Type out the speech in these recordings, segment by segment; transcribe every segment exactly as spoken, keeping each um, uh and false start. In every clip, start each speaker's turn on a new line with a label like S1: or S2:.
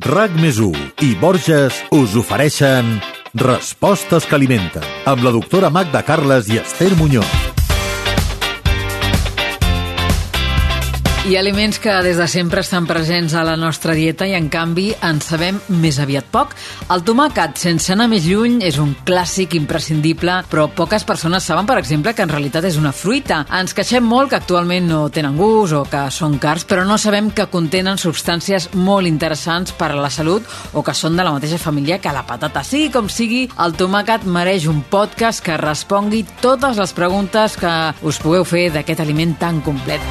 S1: RAC més u i Borges us ofereixen Respostes que alimenten, amb la doctora Magda Carles i Esther Muñoz.
S2: Hi ha aliments que des de sempre estan presents a la nostra dieta i en canvi en sabem més aviat poc. El tomàquet, sense anar més lluny, és un clàssic imprescindible, però poques persones saben, per exemple, que en realitat és una fruita. Ens queixem molt que actualment no tenen gust o que són cars, però no sabem que contenen substàncies molt interessants per a la salut o que són de la mateixa família que la patata. Sigui com sigui, el tomàquet mereix un podcast que respongui totes les preguntes que us pugueu fer d'aquest aliment tan complet.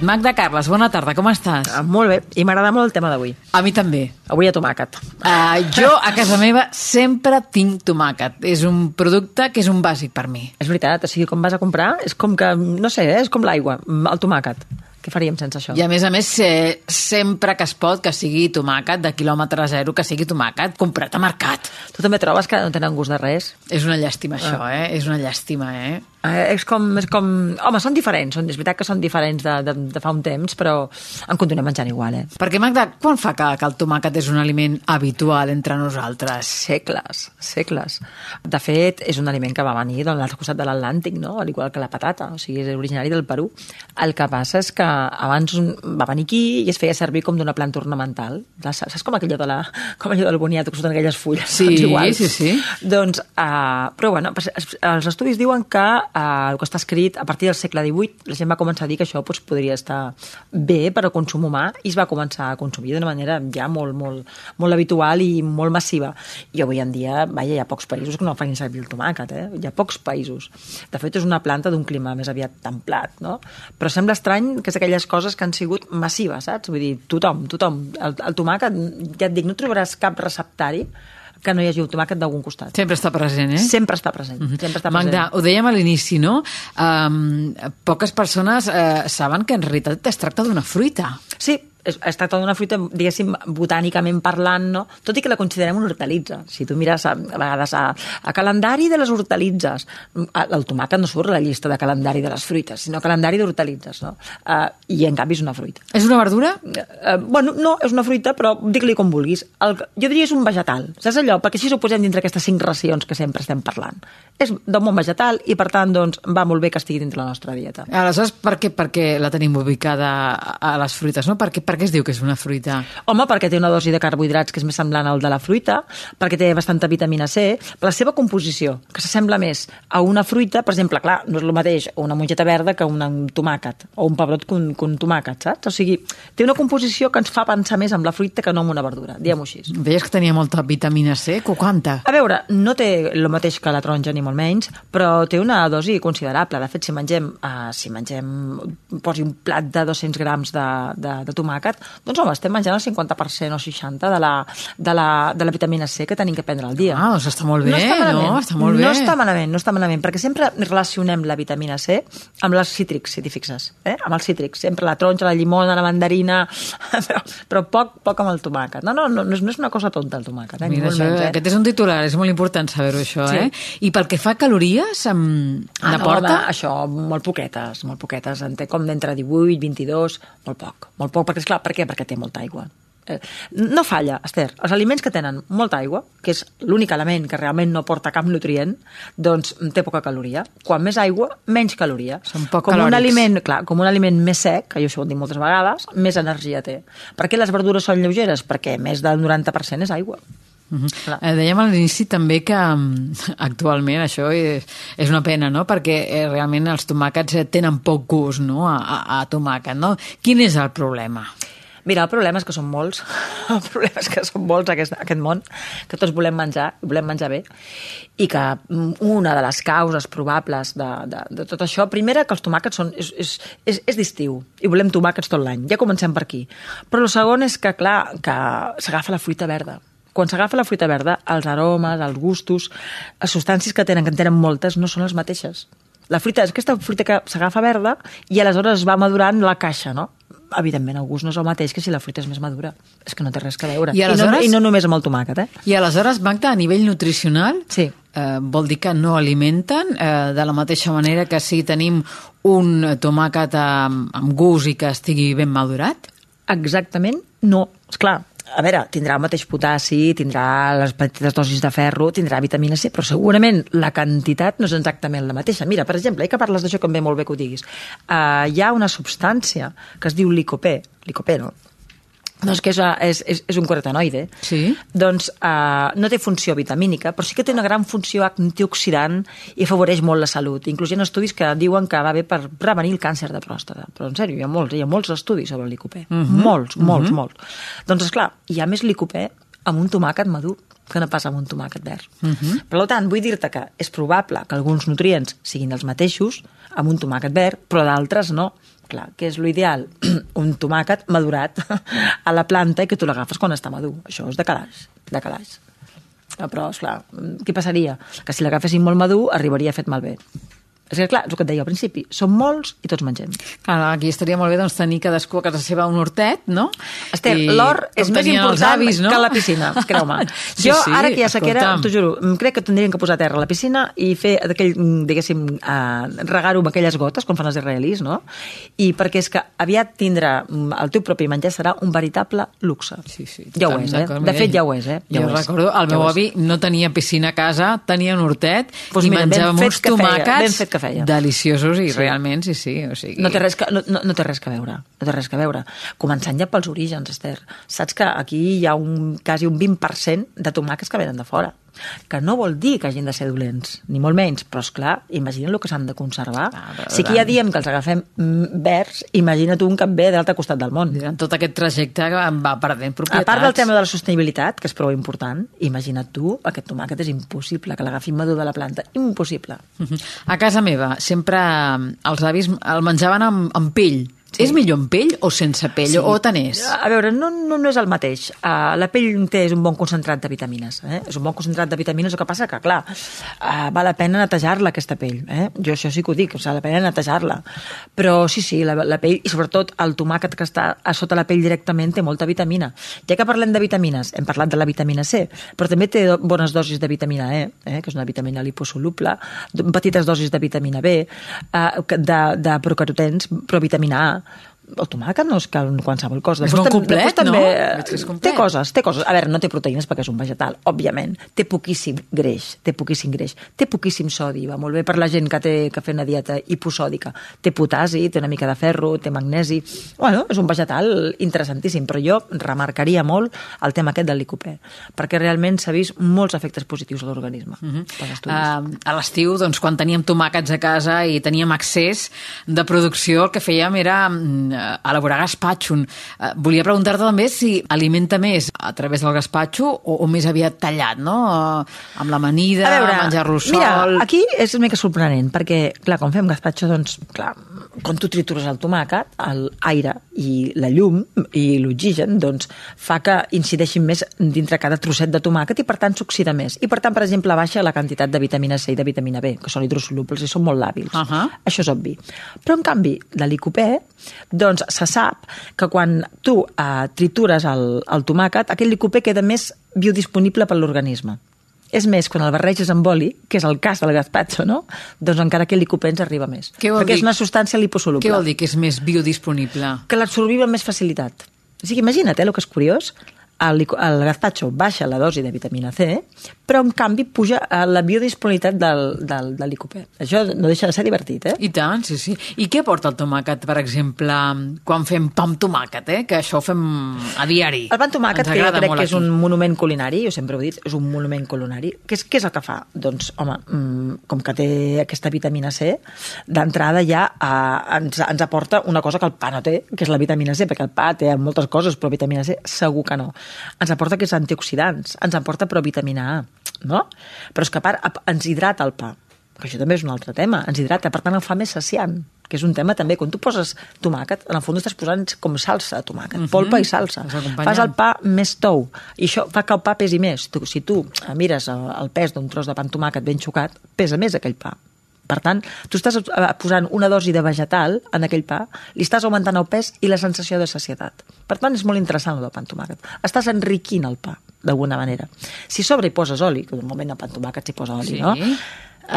S2: Magda Carles, bona tarda, com estàs?
S3: Ah, molt bé, i m'agrada molt el tema d'avui.
S2: A mi també.
S3: Avui a tomàquet.
S2: Uh, jo, a casa meva, sempre tinc tomàquet. És un producte que és un bàsic per mi.
S3: És veritat, o sigui, quan vas a comprar, és com que, no sé, és com l'aigua, el tomàquet. Què faríem sense això?
S2: I a més a més, eh, sempre que es pot, que sigui tomàquet de quilòmetre zero, que sigui tomàquet comprat a mercat.
S3: Tu també trobes que no tenen gust de res?
S2: És una llàstima, això,
S3: Ah.
S2: eh? És una llàstima, eh?
S3: Eh, és com, és com... Home, són diferents, són, és veritat que són diferents de, de, de fa un temps, però en continuem menjant igual, eh?
S2: Perquè, Magda, quan fa que, que el tomàquet és un aliment habitual entre nosaltres?
S3: Segles, segles. De fet, és un aliment que va venir de l'altre costat de l'Atlàntic, no? Al igual que la patata, o sigui, és originari del Perú. El que passa és que abans va venir aquí i es feia servir com d'una planta ornamental. Saps com aquella de la, com allò del boniato, que surten aquelles fulles?
S2: Sí,
S3: doncs igual.
S2: sí, sí.
S3: Doncs, uh, però bueno, els estudis diuen que uh, el que està escrit a partir del segle divuit, la gent va començar a dir que això doncs, podria estar bé per al consum humà i es va començar a consumir d'una manera ja molt, molt, molt habitual i molt massiva. I avui en dia, vaja, hi ha pocs països que no facin servir el tomàquet, eh? Hi ha pocs països. De fet, és una planta d'un clima més aviat templat, no? Però sembla estrany que és aquelles coses que han sigut massives, saps? Vull dir, tothom, tothom. El, el tomàquet, ja et dic, no trobaràs cap receptari que no hi hagi un tomàquet d'algun costat.
S2: Sempre està present, eh?
S3: Sempre està present. Mm-hmm. Sempre està present.
S2: Magda, ho dèiem a l'inici, no? Um, poques persones uh, saben que en realitat es tracta d'una fruita.
S3: Sí, es, es tracta d'una fruita, diguéssim, botànicament parlant, no? Tot i que la considerem una hortalitza. Si tu mires a, a vegades a, a calendari de les hortalitzes, el tomàquet no surt a la llista de calendari de les fruites, sinó calendari d'hortalitzes, no? Uh, I en canvi és una fruita.
S2: És una verdura?
S3: Uh, bueno, no, és una fruita, però digue-li com vulguis. El, jo diria és un vegetal. Saps allò? Perquè així ho posem dintre aquestes cinc racions que sempre estem parlant. És d'un món vegetal i, per tant, doncs, va molt bé que estigui dintre la nostra dieta.
S2: Aleshores, per què, per què la tenim ubicada a les fruites, no? Per què, per què es diu que és una fruita?
S3: Home, perquè té una dosi de carbohidrats que és més semblant al de la fruita, perquè té bastanta vitamina C, per la seva composició, que s'assembla més a una fruita, per exemple, clar, no és el mateix una mongeta verda que una, un tomàquet, o un pebrot que un, que un tomàquet, saps? O sigui, té una composició que ens fa pensar més en la fruita que no en una verdura, diguem-ho així.
S2: Deies que tenia molta vitamina C, quanta?
S3: A veure, no té el mateix que la taronja ni molt menys, però té una dosi considerable. De fet, si mengem, uh, si mengem posi un plat de dos-cents grams de, de, de tomàquet, doncs home, estem menjant el cinquanta per cent o seixanta per cent de la, de, la, de la vitamina C que tenim que prendre al dia.
S2: Ah, doncs està molt bé, no? Està
S3: malament,
S2: no? Està molt bé.
S3: No està malament, no està malament, perquè sempre relacionem la vitamina C amb les cítrics, si t'hi fixes, eh? Amb els cítrics, sempre la taronja, la llimona, la mandarina, però, però poc, poc amb el tomàquet. No, no, no, no és una cosa tonta el tomàquet, eh?
S2: Mira, això, menys, eh? Aquest és un titular, és molt important saber-ho, això, sí. eh? I pel que fa a calories, em...
S3: ah,
S2: n'aporta?
S3: No, això, molt poquetes, molt poquetes, en té com d'entre divuit, vint-i-dos, molt poc, molt poc, perquè, esclar, per què? Perquè té molta aigua. No falla, Esther, els aliments que tenen molta aigua, que és l'únic element que realment no porta cap nutrient, doncs té poca caloria. Quan més aigua, menys caloria.
S2: Són poc
S3: com
S2: calòrics.
S3: Un aliment, clar, com un aliment més sec, que jo això ho dic moltes vegades, més energia té. Per què les verdures són lleugeres? Perquè més del noranta per cent és aigua.
S2: Uh -huh. eh, dèiem a l'inici també que um, actualment això és, és una pena, no? Perquè eh, realment els tomàquets tenen poc gust, no? a, a, a tomàquet, no? Quin és el problema?
S3: Mira, el problema és que són molts, el problema és que són molts aquest, aquest món, que tots volem menjar, volem menjar bé, i que una de les causes probables de, de, de tot això, primera, que els tomàquets són, és, és, és, és d'estiu, i volem tomàquets tot l'any, ja comencem per aquí. Però el segon és que, clar, que s'agafa la fruita verda. Quan s'agafa la fruita verda, els aromes, els gustos, les substàncies que tenen, que en tenen moltes, no són les mateixes. La fruita és aquesta fruita que s'agafa verda i aleshores es va madurant la caixa, no? Evidentment, el gust no és el mateix que si la fruita és més madura. És que no té res a veure.
S2: I, aleshores...
S3: I, no, I no només amb el tomàquet, eh?
S2: I aleshores, Magda, a nivell nutricional,
S3: sí.
S2: eh, vol dir que no alimenten eh, de la mateixa manera que si tenim un tomàquet amb, amb gust i que estigui ben madurat?
S3: exactament no. Esclar, a veure, tindrà el mateix potassi, tindrà les petites dosis de ferro, tindrà vitamina C, però segurament la quantitat no és exactament la mateixa. Mira, per exemple, ja que parles d'això, que em ve molt bé que ho diguis, uh, hi ha una substància que es diu licopè, licopè, no? Doncs que és, és, és, és un carotenoide.
S2: Sí.
S3: Doncs uh, no té funció vitamínica, però sí que té una gran funció antioxidant i afavoreix molt la salut. Inclús hi ha estudis que diuen que va bé per prevenir el càncer de pròstata. Però en sèrio, hi ha molts, hi ha molts estudis sobre el licopè. Uh -huh. Molts, molts, uh -huh. molts. Doncs esclar, hi ha més licopè amb un tomàquet madur que no passa amb un tomàquet verd. Uh -huh. Per tant, vull dir-te que és probable que alguns nutrients siguin els mateixos amb un tomàquet verd, però d'altres no. Clar, que és l'ideal? Un tomàquet madurat a la planta i que tu l'agafes quan està madur. Això és de calaix, de calaix. Però, esclar, què passaria? Que si l'agafessin molt madur, arribaria fet malbé. És que, clar, és el que et deia al principi, som molts i tots mengem.
S2: Clar, aquí estaria molt bé doncs, tenir cadascú a casa seva un hortet, no?
S3: Esther, l'hort és més important avis, no? que la piscina, creu-me.
S2: Sí,
S3: jo,
S2: sí,
S3: ara que hi ha sequera,
S2: escolta'm.
S3: t'ho juro, crec que tindrien que posar terra a la piscina i fer aquell, diguéssim, uh, regar-ho amb aquelles gotes, com fan els israelis, no? I perquè és que aviat tindrà el teu propi menjar serà un veritable luxe.
S2: Sí, sí,
S3: ja ho és, eh? De fet, ja ho és, eh? Ja
S2: jo
S3: ho és.
S2: recordo, el meu
S3: ja
S2: avi no tenia piscina a casa, tenia un hortet
S3: pues
S2: i
S3: mira,
S2: menjàvem
S3: ben
S2: uns tomàquets
S3: fet que feia.
S2: deliciosos i sí. realment, sí, sí. O sigui...
S3: No té res que, no, no té res que veure, no té res que veure. Començant ja pels orígens, Esther. Saps que aquí hi ha un, quasi un vint per cent de tomàquets que venen de fora. Que no vol dir que hagin de ser dolents, ni molt menys, però esclar, imagina't el que s'han de conservar. Ah, si aquí ja diem que els agafem verds, imagina't un que et ve de l'altre costat del món.
S2: En tot aquest trajecte va perdent propietats.
S3: A part del tema de la sostenibilitat, que és prou important, imagina't tu, aquest tomàquet és impossible que l'agafin madur de la planta, impossible.
S2: A casa meva sempre els avis el menjaven amb, amb pell. Sí. És millor amb pell o sense pell? Sí. O tant és?
S3: A veure, no, no, no és el mateix. Uh, la pell té és un bon concentrat de vitamines. Eh? És un bon concentrat de vitamines, el que passa que, clar, uh, val la pena netejar-la, aquesta pell. Eh? Jo això sí que ho dic, val la pena netejar-la. Però sí, sí, la, la pell, i sobretot el tomàquet que està a sota la pell directament té molta vitamina. Ja que parlem de vitamines, hem parlat de la vitamina C, però també té bones dosis de vitamina E, eh? que és una vitamina liposoluble, petites dosis de vitamina B, uh, de, de procarotens, però vitamina A. El tomàquet no és que qualsevol cosa.
S2: És molt complet,
S3: també,
S2: no? És complet.
S3: Té coses, té coses. A veure, no té proteïnes perquè és un vegetal, òbviament. Té poquíssim greix, té poquíssim greix. Té poquíssim sodi, va molt bé per la gent que té que fer una dieta hiposòdica. Té potassi, té una mica de ferro, té magnesi. Bueno, és un vegetal interessantíssim, però jo remarcaria molt el tema aquest del licopè, perquè realment s'ha vist molts efectes positius a l'organisme. Uh -huh.
S2: uh, a l'estiu, doncs, quan teníem tomàquets a casa i teníem accés de producció, el que fèiem era elaborar gaspatxo. Volia preguntar-te també si alimenta més a través del gaspatxo o, o més aviat tallat, no? Amb l'amanida, menjar-lo sol...
S3: Mira, aquí és una mica sorprenent, perquè, clar, quan fem gaspatxo, doncs, clar, quan tu tritures el tomàquet, l'aire i la llum i l'oxigen, doncs, fa que incideixin més dintre cada trosset de tomàquet i, per tant, s'oxida més. I, per tant, per exemple, baixa la quantitat de vitamina C i de vitamina B, que són hidrosolubles i són molt làbils. Uh -huh. Això és obvi. Però, en canvi, de licopè, doncs se sap que quan tu eh, tritures el, el tomàquet, aquest licopè queda més biodisponible per l'organisme. És més, quan el barreges amb oli, que és el cas del gazpacho, no? Doncs encara que el licopè ens arriba més. Perquè dir? És una substància liposoluble.
S2: Què vol dir que és més biodisponible?
S3: Que l'absorbim amb més facilitat. O sigui, imagina't, eh, el que és curiós, el, el gazpacho baixa la dosi de vitamina C, però en canvi puja la biodisponibilitat del, del, del licopè. Això no deixa de ser divertit, eh?
S2: I tant, sí, sí. I què aporta el tomàquet, per exemple, quan fem pa amb tomàquet, eh? Que això ho fem a diari.
S3: El pa amb tomàquet, que jo crec que és un monument culinari, jo sempre ho he dit, és un monument culinari. Què és, què és el que fa? Doncs, home, mmm, com que té aquesta vitamina C, d'entrada ja eh, ens, ens aporta una cosa que el pa no té, que és la vitamina C, perquè el pa té moltes coses, però vitamina C segur que no. Ens aporta aquests antioxidants, ens aporta però vitamina A, no? Però és que a part ens hidrata el pa, que això també és un altre tema, ens hidrata, per tant el fa més saciant, que és un tema també, quan tu poses tomàquet, en el fons estàs posant com salsa de tomàquet, uh -huh. polpa i salsa, fas el pa més tou, i això fa que el pa pesi més. Tu, si tu mires el pes d'un tros de pa amb tomàquet ben xocat, pesa més aquell pa. Per tant, tu estàs posant una dosi de vegetal en aquell pa, li estàs augmentant el pes i la sensació de sacietat. Per tant, és molt interessant el del pa amb tomàquet. Estàs enriquint el pa, d'alguna manera. Si sobre hi poses oli, que normalment el pa amb tomàquet s'hi posa oli,
S2: sí.
S3: no?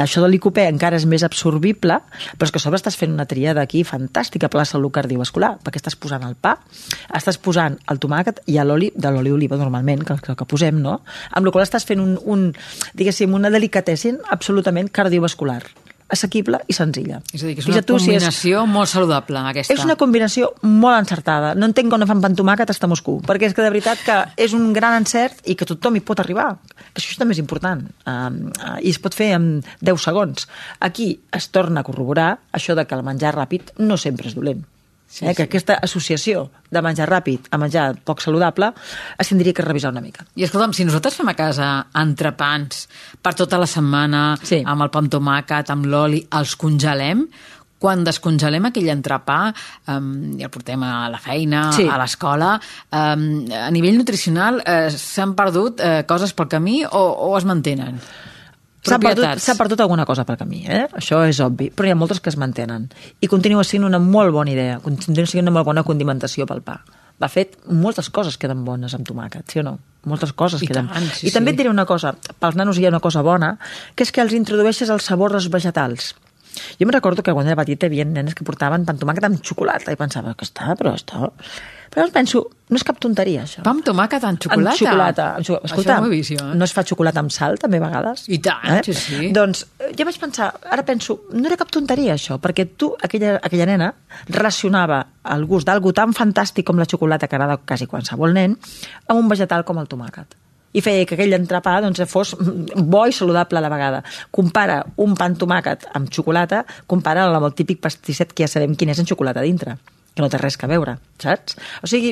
S3: això de l'Icopè encara és més absorbible, però és que a sobre estàs fent una tríada aquí fantàstica per la salut cardiovascular, perquè estàs posant el pa, estàs posant el tomàquet i l'oli, de l'oli d'oliva normalment, que, que, que posem, no? Amb la qual estàs fent un, un diguéssim, una delicatessen absolutament cardiovascular, assequible i senzilla.
S2: És a dir, que és una combinació és... molt saludable, aquesta.
S3: És una combinació molt encertada. No entenc com no fan pa amb tomàquet hasta Moscou, perquè és que de veritat que és un gran encert i que tothom hi pot arribar. Que això també és important. Um, uh, I es pot fer en deu segons. Aquí es torna a corroborar això de que el menjar ràpid no sempre és dolent. Sí, eh, que sí. Aquesta associació de menjar ràpid a menjar poc saludable es tindria que revisar una mica.
S2: I escolta'm, si nosaltres fem a casa entrepans per tota la setmana, sí. amb el pa amb tomàquet, amb l'oli, els congelem, quan descongelem aquell entrepà um, i el portem a la feina, sí. a l'escola, um, a nivell nutricional eh, s'han perdut eh, coses pel camí o, o es mantenen?
S3: S'ha perdut, s'ha perdut alguna cosa pel camí, eh? Això és obvi, però hi ha moltes que es mantenen. I continua sent una molt bona idea, continua sent una molt bona condimentació pel pa. De fet, moltes coses queden bones amb tomàquet, sí o no? Moltes coses
S2: I
S3: queden...
S2: Tant, sí,
S3: I també
S2: sí.
S3: et diré una cosa, pels nanos hi ha una cosa bona, que és que els introdueixes el sabor dels vegetals. Jo em recordo que quan era petita hi havia nenes que portaven pa amb tomàquet amb xocolata i pensava que està, però està... Però penso, no és cap tonteria, això.
S2: Pa amb tomàquet amb xocolata?
S3: Amb xocolata. Amb xocolata. Escolta,
S2: això no ho he vist jo, eh?
S3: No es fa xocolata amb sal, també, a vegades?
S2: I tant, eh? sí, sí.
S3: Doncs ja vaig pensar, ara penso, no era cap tonteria, això, perquè tu, aquella, aquella nena, relacionava el gust d'algú tan fantàstic com la xocolata, que agrada quasi qualsevol nen, amb un vegetal com el tomàquet. I feia que aquell entrepà doncs, fos bo i saludable a la vegada. Compara un pa amb tomàquet amb xocolata, compara amb el típic pastisset que ja sabem quin és en xocolata dintre, que no té res a veure, saps? O sigui,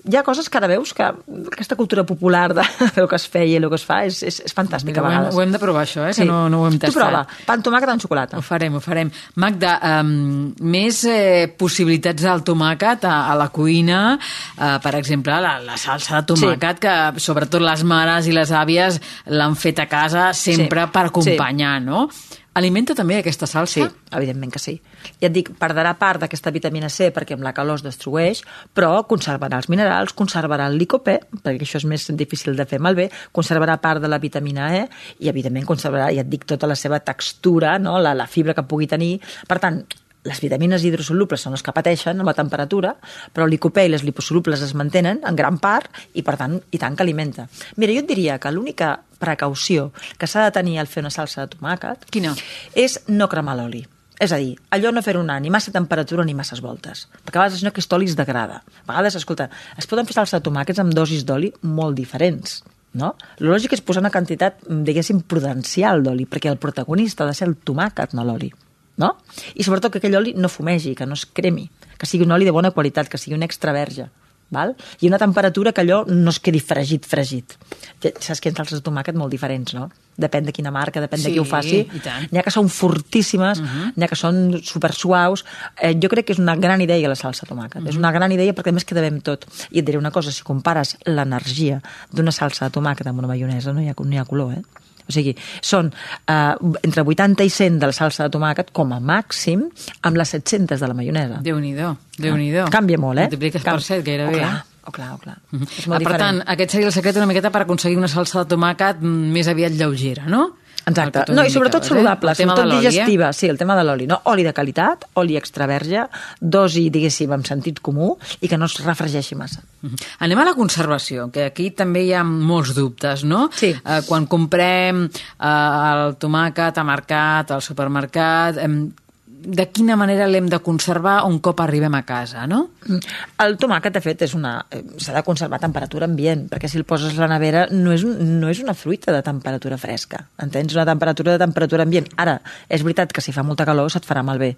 S3: hi ha coses que ara veus que aquesta cultura popular de el que es feia i el que es fa és, és, és fantàstica.
S2: Mira,
S3: a vegades.
S2: Ho hem de provar, això, eh?
S3: Sí.
S2: Que no, no ho hem tastat.
S3: Tu prova, pa amb tomàquet amb xocolata.
S2: Ho farem, ho farem. Magda, um, més eh, possibilitats del tomàquet a, a la cuina, uh, per exemple, la, la salsa de tomàquet, sí. que sobretot les mares i les àvies l'han fet a casa sempre sí. per acompanyar, sí. no? Alimenta també aquesta salsa?
S3: Sí, evidentment que sí. Ja et dic, perdrà part d'aquesta vitamina C perquè amb la calor es destrueix, però conservarà els minerals, conservarà el licopè, perquè això és més difícil de fer malbé, conservarà part de la vitamina E i, evidentment, conservarà, ja et dic, tota la seva textura, no? la, la fibra que pugui tenir. Per tant, les vitamines hidrosolubles són les que pateixen amb la temperatura, però el licopè i les liposolubles es mantenen en gran part i, per tant, i tant que alimenta. Mira, jo et diria que l'única precaució que s'ha de tenir al fer una salsa de tomàquet
S2: Quina?
S3: és no cremar l'oli. És a dir, allò no fer-ho anar ni massa temperatura ni masses voltes, perquè a vegades això aquest oli es degrada. A vegades, escolta, es poden fer salsa de tomàquets amb dosis d'oli molt diferents, no? El lògic és posar una quantitat, diguéssim, prudencial d'oli, perquè el protagonista ha de ser el tomàquet, no l'oli. No? I sobretot que aquell oli no fumegi, que no es cremi, que sigui un oli de bona qualitat, que sigui un extra verge. Val? I una temperatura que allò no es quedi fregit, fregit. Saps que hi ha salses de tomàquet molt diferents, no? Depèn de quina marca, depèn
S2: sí,
S3: de qui ho faci. N'hi ha que són fortíssimes, uh-huh. n'hi ha que són supersuaus. Eh, jo crec que és una gran idea la salsa de tomàquet. Uh-huh. És una gran idea perquè a més queda bé amb tot. I et diré una cosa, si compares l'energia d'una salsa de tomàquet amb una maionesa, no hi ha, no hi ha color, eh? O sigui, són eh, entre vuitanta i cent de la salsa de tomàquet com a màxim amb les set-centes de la maionesa.
S2: Déu-n'hi-do, Déu-n'hi-do.
S3: Canvia molt, eh?
S2: Multipliques per set gairebé.
S3: Oh, clar, oh, clar, oh, clar.
S2: Mm-hmm.
S3: És molt
S2: ah, per
S3: diferent.
S2: tant, aquest seria el secret una miqueta per aconseguir una salsa de tomàquet més aviat lleugera, no?
S3: Exacte. No, i sobretot saludable,
S2: eh?
S3: sobretot digestiva. Eh? Sí, el tema de l'oli, no? Oli de qualitat, oli extra verge, dosi, diguéssim, amb sentit comú i que no es refregeixi massa.
S2: Mm-hmm. Anem a la conservació, que aquí també hi ha molts dubtes, no?
S3: Sí.
S2: Eh, quan comprem eh, el tomàquet a mercat, al supermercat, eh, de quina manera l'hem de conservar un cop arribem a casa, no?
S3: El tomàquet, de fet, és una... s'ha de conservar a temperatura ambient, perquè si el poses a la nevera no és, no és una fruita de temperatura fresca, entens? Una temperatura de temperatura ambient. Ara, és veritat que si fa molta calor se't farà malbé,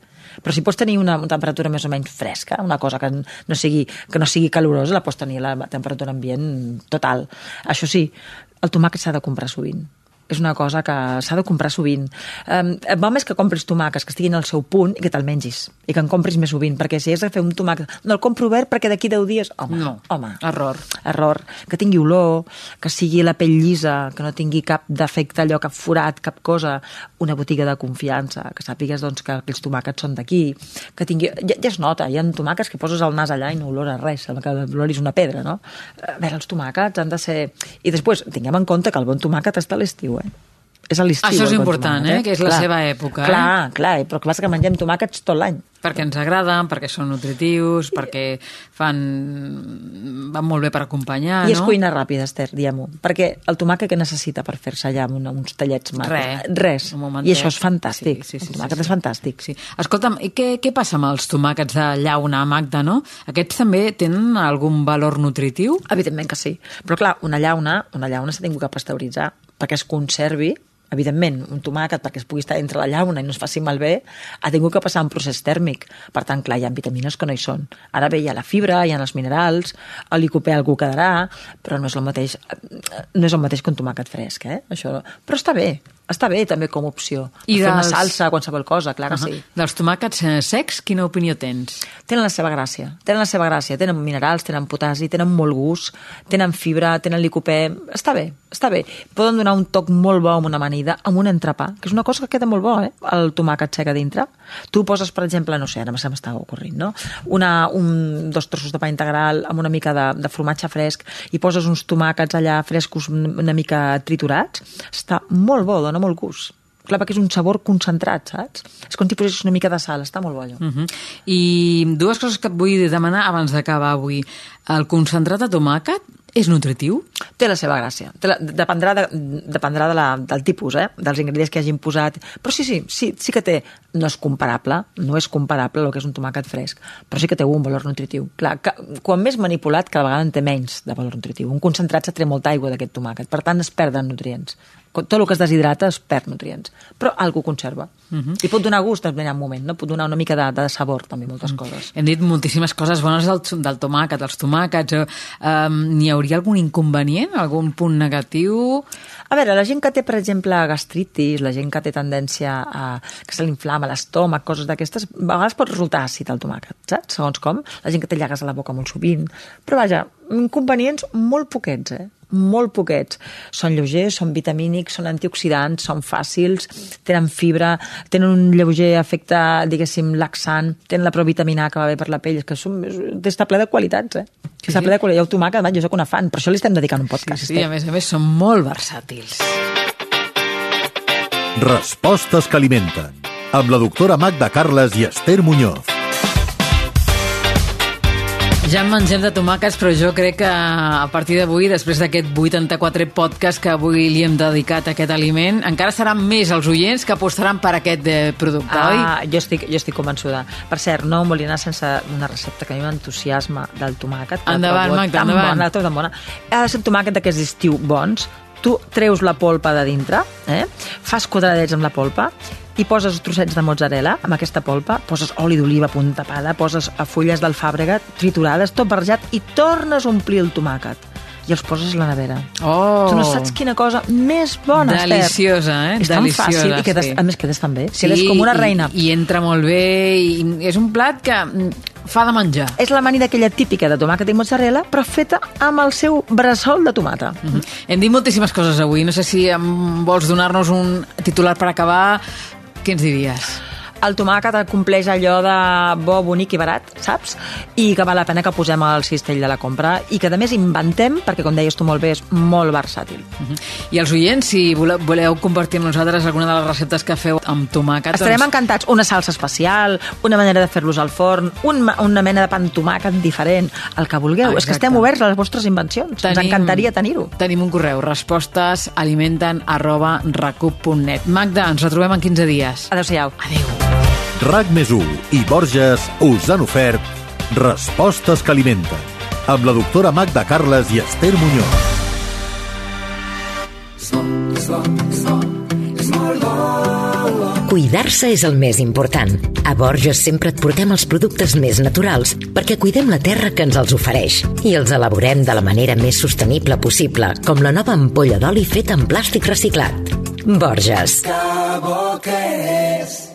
S3: però si pots tenir una, una temperatura més o menys fresca, una cosa que no sigui, que no sigui calorosa, la pots tenir a la temperatura ambient total. Això sí, el tomàquet s'ha de comprar sovint. És una cosa que s'ha de comprar sovint. Um, va més que compris tomàquets que estiguin al seu punt i que te'l mengis, i que en compris més sovint, perquè si has de fer un tomàquet, no el compro obert perquè d'aquí deu dies... Home,
S2: no,
S3: home.
S2: Error.
S3: Error. Que tingui olor, que sigui la pell llisa, que no tingui cap defecte, allò, cap forat, cap cosa. Una botiga de confiança, que sàpigues doncs, que aquells tomàquets són d'aquí, que tingui... Ja, ja es nota, hi ha tomàquets que poses el nas allà i no olora res, que l'olor és una pedra, no? A veure, els tomàquets han de ser... I després, tinguem en compte que el bon tomàquet està a l'estiu, eh? és a l'estiu.
S2: Això és
S3: el
S2: important,
S3: tomàquet,
S2: eh? Que és la
S3: clar.
S2: seva època.
S3: Clar, clar, però que passa que mengem tomàquets tot l'any.
S2: Perquè ens agraden, perquè són nutritius, perquè fan... van molt bé per acompanyar,
S3: I és
S2: no?
S3: cuina ràpida, Esther, diguem-ho. Perquè el tomàquet que necessita per fer-se allà amb una, uns tallets macos?
S2: Res.
S3: Res.
S2: Un momentet.
S3: I això és fantàstic.
S2: Sí, sí, sí,
S3: el tomàquet
S2: sí, sí.
S3: és fantàstic.
S2: Sí. Escolta'm, i què, què passa amb els tomàquets de llauna, Magda, no? Aquests també tenen algun valor nutritiu?
S3: Evidentment que sí. Però clar, una llauna, una llauna s'ha tingut que pasteuritzar perquè es conservi. Evidentment, un tomàquet, perquè es pugui estar entre la llauna i no es faci malbé, ha tingut que passar un procés tèrmic. Per tant, clar, hi ha vitamines que no hi són. Ara bé, hi ha la fibra, hi ha els minerals, el licopè algú quedarà, però no és el mateix, no és el mateix que un tomàquet fresc, eh? Això... Però està bé, està bé també com a opció.
S2: I
S3: fer una
S2: dels-
S3: salsa, qualsevol cosa, clar que
S2: Uh-huh.
S3: sí.
S2: Dels tomàquets eh, secs, quina opinió tens?
S3: Tenen la seva gràcia, tenen la seva gràcia, tenen minerals, tenen potasi, tenen molt gust, tenen fibra, tenen licopè, està bé, està bé. Poden donar un toc molt bo amb una amanida, amb un entrepà, que és una cosa que queda molt bo, eh? El tomàquet sec a dintre. Tu poses, per exemple, no sé, ara se m'està ocorrint, no? Una, un, dos trossos de pa integral amb una mica de, de formatge fresc i poses uns tomàquets allà frescos una mica triturats, està molt bo, dona molt gust. Clar, perquè és un sabor concentrat, saps? És com si posessis una mica de sal, està molt bo allò.
S2: Uh-huh. I dues coses que et vull demanar abans d'acabar avui. El concentrat de tomàquet és nutritiu?
S3: Té la seva gràcia. Té la, dependrà de, dependrà de la, del tipus, eh? Dels ingredients que hagin posat. Però sí, sí, sí, sí que té... No és comparable, no és comparable el que és un tomàquet fresc, però sí que té un valor nutritiu. Clar, que, quan més manipulat, cada vegada en té menys de valor nutritiu. Un concentrat se treu molta aigua d'aquest tomàquet, per tant es perden nutrients. Tot el que es deshidrata es perd nutrients, però algú conserva. Uh-huh. I pot donar gust en un moment, no? Pot donar una mica de, de sabor, també, moltes coses.
S2: Hem dit moltíssimes coses bones del, del tomàquet, dels tomàquets. Eh, n'hi hauria algun inconvenient, algun punt negatiu?
S3: A veure, la gent que té, per exemple, gastritis, la gent que té tendència a que se l'inflama l'estómac, coses d'aquestes, a vegades pot resultar àcid el tomàquet, saps? Segons com. La gent que té llagues a la boca molt sovint. Però vaja, inconvenients molt poquets, eh? Molt poquets. Són lleugers, són vitamínics, són antioxidants, són fàcils, tenen fibra, tenen un lleuger efecte, diguéssim, laxant, tenen la provitamina A que va bé per la pell, és que són, està ple de qualitats, eh?
S2: Sí,
S3: està
S2: sí.
S3: ple de qualitats. Jo el tomàquet, jo soc una fan, per això li estem dedicant un podcast.
S2: Sí, sí, a més a més són molt versàtils.
S1: Respostes que alimenten. Amb la doctora Magda Carles i Esther Muñoz.
S2: Ja en mengem de tomàquets, però jo crec que a partir d'avui, després d'aquest vuitanta-quatre podcast que avui li hem dedicat a aquest aliment, encara seran més els oients que apostaran per aquest eh, producte, oi?
S3: Ah, jo estic, jo estic convençuda. Per cert, no em volia anar sense una recepta que a mi m'entusiasma del tomàquet. que
S2: Endavant,
S3: trobo
S2: Magda,
S3: tan
S2: endavant.
S3: Bona, tan bona. Ha de ser un tomàquet d'aquests d'estiu bons. Tu treus la polpa de dintre, eh? Fas quadradets amb la polpa i poses trossets de mozzarella amb aquesta polpa, poses oli d'oliva a punt tapada, poses fulles d'alfàbrega triturades, tot barrejat, i tornes a omplir el tomàquet i els poses a la nevera.
S2: Oh!
S3: Tu no saps quina cosa més bona, Esther.
S2: Deliciosa, eh?
S3: És tan
S2: Deliciosa,
S3: fàcil i quedes,
S2: sí.
S3: a més quedes tan bé. Sí, quedes com una reina.
S2: I, i entra molt bé, i és un plat que mm, fa de menjar.
S3: És l'amanida aquella típica de tomàquet i mozzarella, però feta amb el seu bressol de tomata.
S2: Uh -huh. Hem dit moltíssimes coses avui. No sé si em vols donar-nos un titular per acabar. Què ens diries?
S3: El tomàquet compleix allò de bo, bonic i barat, saps? I que val la pena que posem al cistell de la compra i que, a més, inventem, perquè, com deies tu molt bé, és molt versàtil.
S2: Uh -huh. I els oients, si voleu, voleu compartir amb nosaltres alguna de les receptes que feu amb tomàquet...
S3: Estarem
S2: doncs...
S3: encantats. Una salsa especial, una manera de fer-los al forn, un, una mena de pa amb tomàquet diferent, el que vulgueu.
S2: Ah,
S3: és que estem oberts a les vostres invencions. Tenim, Ens encantaria tenir-ho.
S2: Tenim un correu, respostes alimenten arroba recup punt net. Magda, ens retrobem en quinze dies.
S3: Adéu-siau.
S2: Adéu.
S1: RAC més u i Borges us han ofert Respostes que alimenten amb la doctora Magda Carles i Esther Muñoz.
S4: Cuidar-se és el més important. A Borges sempre et portem els productes més naturals perquè cuidem la terra que ens els ofereix i els elaborem de la manera més sostenible possible, com la nova ampolla d'oli feta en plàstic reciclat. Borges.
S5: Que bo que és